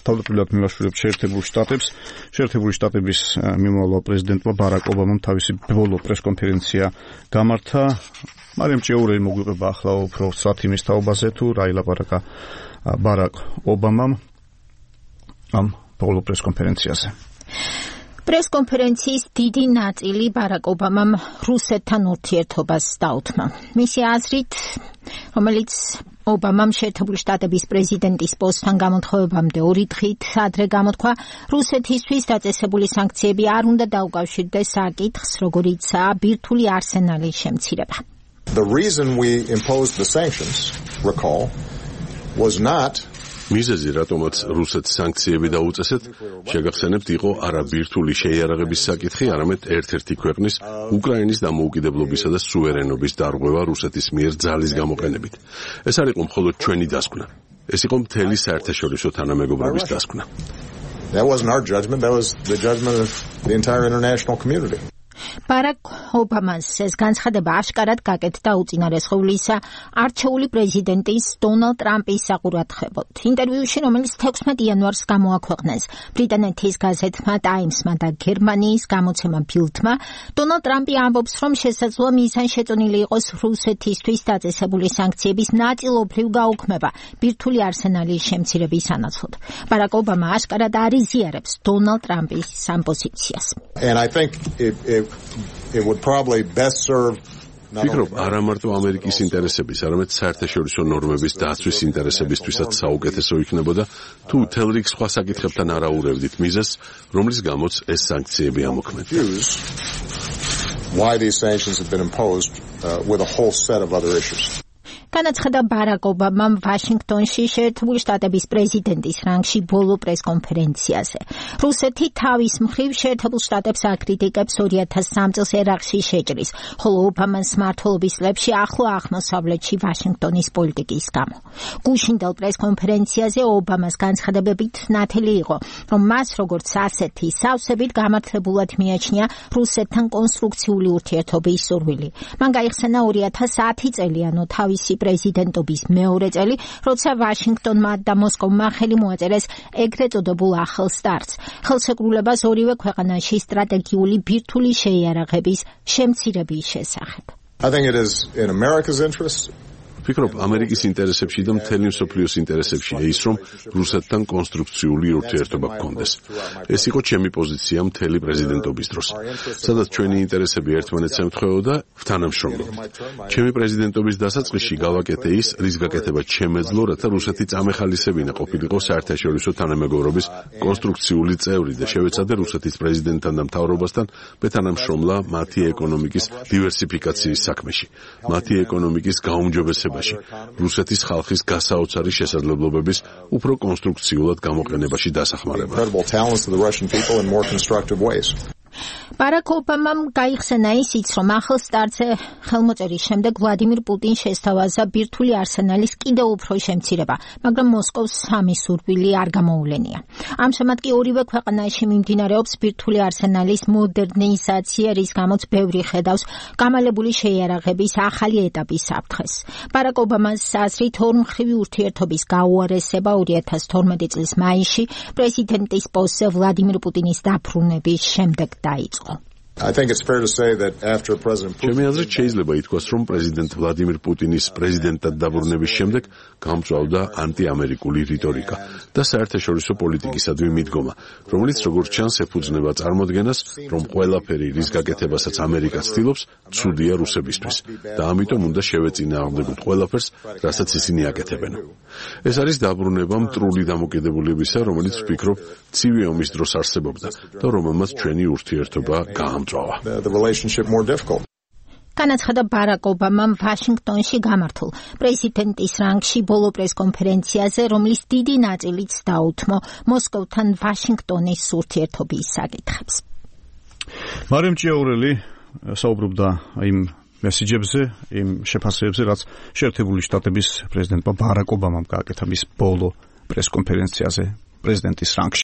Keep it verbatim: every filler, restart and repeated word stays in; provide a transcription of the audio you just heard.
თავდაპირველად მივაშურებთ შეერთებულ შტატებს. შეერთებული შტატების მიმავალ პრეზიდენტმა ბარაკ ობამამ თავისი ბოლო პრესკონფერენცია გამართა. მარიამ ჭიაურელი მოგვიყვება ახლა უფრო სწრაფ იმის თაობაზე თუ რა ილაპარაკა ბარაკ ობამამ ამ ბოლო პრესკონფერენციაზე. პრესკონფერენციის დიდი ნაწილი ბარაკ ობამამ რუსეთთან ურთიერთობას დაუთმა. მისი აზრით, რომელიც ობამამ შეერთებული შტატების პრეზიდენტის პოსტთან გამოთხოვებამდე ორი დღით ადრე გამოთქვა, რუსეთისთვის დაწესებული სანქციები არ უნდა დაუკავშირდეს საკითხს, როგორიცაა ბირთვული არსენალის შემცირება. The reason we imposed the sanctions, recall, was not მიზეზი, რატომაც რუსეთს სანქციები დაუწესეთ, შეგახსენებთ, იყო არა ბირთვული შეიარაღების საკითხი, არამედ ერთ-ერთი ქვეყნის უკრაინის დამოუკიდებლობისა და სუვერენობის დარღვევა რუსეთის მიერ ძალის გამოყენებით. ეს არ იყო მხოლოდ ჩვენი დასკვნა. ეს იყო მთელი საერთაშორისო თანამეგობრობის დასკვნა. That wasn't our judgment, that was the judgment of the entire international community. ბარაკ ობამას ეს განცხადება აშკარად გაკეთდა უწინარესხევლისა არჩეული პრეზიდენტის დონალდ ტრამპის საყურადღებოდ. ინტერვიუში, რომელიც თექვსმეტ იანვარს გამოაქვეყნეს ბრიტანეთის გაზეთმა ტაიმსმა და გერმანიის გამოცემა ბილდმა, დონალდ ტრამპი ამბობს, რომ შესაძლოა მიზანი შეწონილი იყოს რუსეთისთვის დაწესებული სანქციების ნაწილობრივ გაუქმება ბირთვული არსენალის შემცირების სანაცვლოდ. ბარაკ ობამა აშკარად არ იზიარებს დონალდ ტრამპის ამ პოზიციას. And I think it, it It would probably best serve ფიქრობ, არა მარტო ამერიკის ინტერესების, არამედ საერთაშორისო ნორმების დაცვის ინტერესებისთვისაც საუკეთესო იქნებოდა, თუ თელ რიგ სხვა საკითხებთან არ აურევდით მიზეზს, რომლის გამოც ეს სანქციები ამოქმედდა. Why these sanctions have been imposed uh, with a whole set of other issues. განაცხადა ბარაკ ობამამ ვაშინგტონში შეერთებული შტატების პრეზიდენტის რანგში ბოლო პრესკონფერენციაზე. რუსეთი თავის მხრივ შეერთებულ შტატებს აკრიტიკებს ორი ათას სამ წელს ერაყში შეჭრის, ხოლო ობამას მმართველობის წლებში ახლო აღმოსავლეთში ვაშინგტონის პოლიტიკის გამო. გუშინდელ პრესკონფერენციაზე ობამას განცხადებებით ნათელი იყო, რომ მას როგორც ასეთი სავსებით გამართლებულად მიაჩნია რუსეთთან კონსტრუქციული ურთიერთობის სურვილი. მან გაიხსენა ორი ათას ათი წელი, ანუ თავისი პრეზიდენტობის მეორე წელი, როცა ვაშინგტონმა და მოსკოვმა ხელი მოაწერეს ეგრეთ წოდებულ ახალ სტარტს, ხელშეკრულებას ორივე ქვეყანაში სტრატეგიული ბირთვული შეიარაღების შემცირების შესახებ. I think it is in America's interest. ფიქრობ, ამერიკის ინტერესებში და მთელი მსოფლიოს ინტერესებშია ის, რომ რუსეთთან კონსტრუქციული ურთიერთობა გქონდეს. ეს იყო ჩემი პოზიცია მთელი პრეზიდენტობის დროს, სადაც ჩვენი ინტერესები ერთმანეთს ემთხვეოდა თანამშრომლობით. ჩემი პრეზიდენტობის დასაწყისში გავაკეთე ის, რის გაკეთება ჩემეძლო, რათა რუსეთი წამეხალისებინა ყოფილიყო საერთაშორისო თანამეგობრობის კონსტრუქციული წევრი და შევეცადე რუსეთის პრეზიდენტთან და მთავრობასთან მეთანამშრომლა მათი ეკონომიკის დივერსიფიკაციის საქმეში, მათი ეკონომიკის გაუმჯობესებაში, რუსეთის ხალხის გასაოცარი შესაძლებლობების უფრო კონსტრუქციულად გამოყენებაში დასახმარება. ბარაკ ობამამ გაიხსენა ისიც, რომ ახალ სტარტზე ხელმოწერის შემდეგ ვლადიმირ პუტინს შესთავაზა ბირთვული არსენალის კიდევ უფრო შემცირება, მაგრამ მოსკოვს სამი სურვილი არ გამოუვლენია. ამჟამად კი ორივე ქვეყანაში მიმდინარეობს ბირთვული არსენალის მოდერნიზაცია, რის გამოც ბევრი ხედავს გამალებული შეიარაღების ახალი ეტაპის საფრთხეს. ბარაკ ობამას აზრით, ორმხრივი ურთიერთობის გაუარესება ორი ათას თორმეტი წლის მაისში პრეზიდენტის პოსტზე ვლადიმირ პუტინის დაბრუნების შემდეგ დაიწყო. I think it's fair to say that after President Putin ჩემი აზრით შეიძლება ითქვას, რომ პრეზიდენტ ვლადიმირ პუტინის პრეზიდენტად დაბრუნების შემდეგ გამწვავდა ანტიამერიკული რიტორიკა და საერთაშორისო პოლიტიკისადმი მიდგომა, რომელიც როგორც ჩანს ეფუძნება წარმოდგენას, რომ ყველაფერი, რის გაკეთებასაც ამერიკა ცდილობს, ცუდია რუსებისთვის და ამიტომ უნდა შევეწინააღმდეგოთ ყველაფერს, რასაც ისინი აკეთებენ. ეს არის დაბრუნება მტრული დამოკიდებულებისა, რომელიც ვფიქრობ, ცივი ომის დროს არსებობდა და რომელმაც ჩვენი ურთიერთობა გაამწვა. the relationship more difficult. განაცხადა ბარაკ ობამამ ვაშინგტონში გამართულ პრეზიდენტის რანგში ბოლო პრესკონფერენციაზე, რომლის დიდი ნაწილიც დაუთმო მოსკოვთან ვაშინგტონის ურთიერთობის საკითხებს. მარიამ ჭიაურელი საუბრობდა იმ მესიჯებზე, იმ შეფასებებზე, რაც შეერთებული შტატების პრეზიდენტმა ბარაკ ობამამ გააკეთა მის ბოლო პრესკონფერენციაზე პრეზიდენტის რანგში.